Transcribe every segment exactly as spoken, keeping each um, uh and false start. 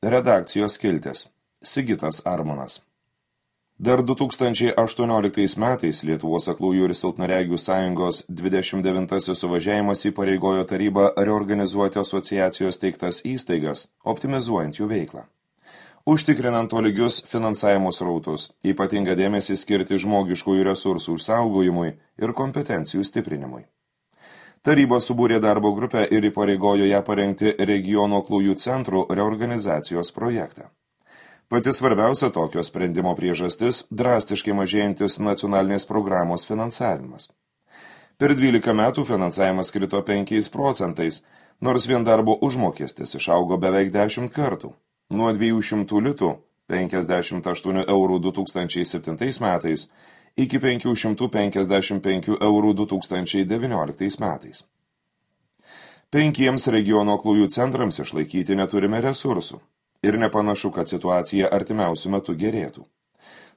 Redakcijos skiltis. Sigitas Armonas. Dar du tūkstančiai aštuonioliktais metais Lietuvos aklųjų ir silpnaregių sąjungos dvidešimt devintasis suvažiavimas įpareigojo tarybą reorganizuoti asociacijos teiktas įstaigas, optimizuojant jų veiklą. Užtikrinant tolygius finansavimo srautus, ypatingą dėmesį skirti žmogiškųjų resursų išsaugojimui ir kompetencijų stiprinimui. Taryba subūrė darbo grupę ir įpareigojo ją parengti regiono aklųjų centrų reorganizacijos projektą. Pati svarbiausia tokio sprendimo priežastis – drastiškai mažėjantis nacionalinės programos finansavimas. Per dvylika metų finansavimas krito penkiais procentais, nors vien darbo užmokestis išaugo beveik dešimt kartų. Nuo dviejų šimtų litų penkiasdešimt aštuonių eurų du tūkstančiai septintais metais iki penkių šimtų penkiasdešimt penkių eurų du tūkstančiai devynioliktais metais. Penkiems regiono aklųjų centrams išlaikyti neturime resursų. Ir nepanašu, kad situacija artimiausių metų gerėtų.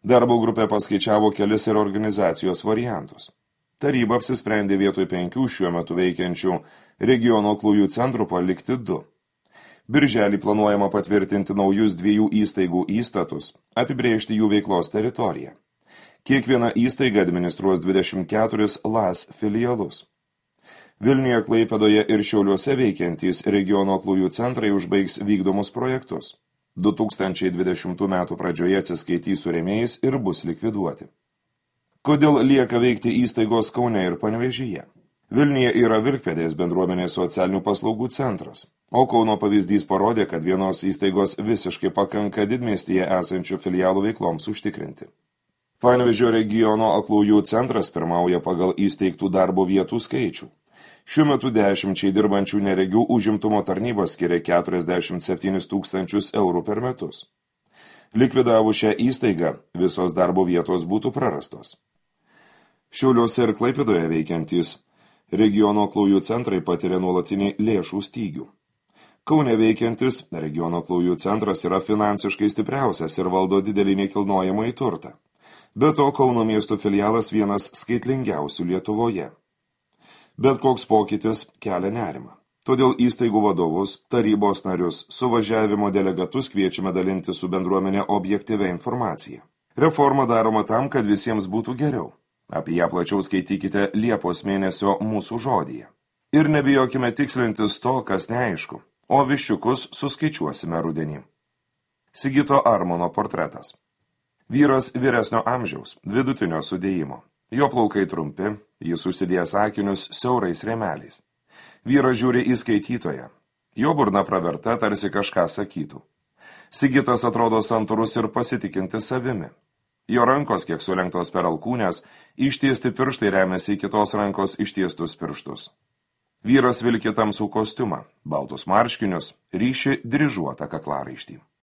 Darbo grupė paskaičiavo kelis ir organizacijos variantus. Taryba apsisprendė vietoj penkių šiuo metu veikiančių regiono aklųjų centrų palikti du. Birželį planuojama patvirtinti naujus dviejų įstaigų įstatus, apibrėžti jų veiklos teritoriją. Kiekviena įstaiga administruos dvidešimt keturis L A S filialus. Vilniuje, Klaipėdoje ir Šiauliuose veikiantys regiono aklųjų centrai užbaigs vykdomus projektus. du tūkstančiai dvidešimtų metų pradžioje atsiskaitys su rėmėjais ir bus likviduoti. Kodėl lieka veikti įstaigos Kaune ir Panevėžyje? Vilniuje yra Vilkpėdės bendruomenės socialinių paslaugų centras, o Kauno pavyzdys parodė, kad vienos įstaigos visiškai pakanka didmiestyje esančių filialų veikloms užtikrinti. Panevėžio regiono aklųjų centras pirmauja pagal įsteigtų darbo vietų skaičių. Šiuo metu dešimčiai dirbančių neregių užimtumo tarnyba skiria keturiasdešimt septynis tūkstančius eurų per metus. Likvidavus šią įstaigą, visos darbo vietos būtų prarastos. Šiauliuose ir Klaipėdoje veikiantys regiono aklųjų centrai patiria nuolatinį lėšų stygių. Kaune veikiantis regiono aklųjų centras yra finansiškai stipriausias ir valdo didelį nekilnojamąjį turtą. Be to, Kauno miesto filialas vienas skaitlingiausių Lietuvoje. Bet koks pokytis kelia nerimą. Todėl įstaigų vadovus, tarybos narius, suvažiavimo delegatus kviečiame dalinti su bendruomenė objektyvia informacija. Reforma daroma tam, kad visiems būtų geriau. Apie ją plačiau skaitykite Liepos mėnesio mūsų žodyje. Ir nebijokime tikslintis to, kas neaišku, o viščiukus suskaičiuosime rudenį. Sigito Armono portretas. Vyras vyresnio amžiaus, vidutinio sudėjimo. Jo plaukai trumpi, jis užsidėjęs akinius siaurais rėmeliais. Vyras žiūri į skaitytoją. Jo burna praverta, tarsi kažką sakytų. Sigitas atrodo santūrus ir pasitikintis savimi. Jo rankos, kiek sulenktos per alkūnės, ištiesti pirštai remiasi į kitos rankos ištiestus pirštus. Vyras vilki tamsų kostiumą, baltus marškinius, ryši dryžuotą kaklaraištį.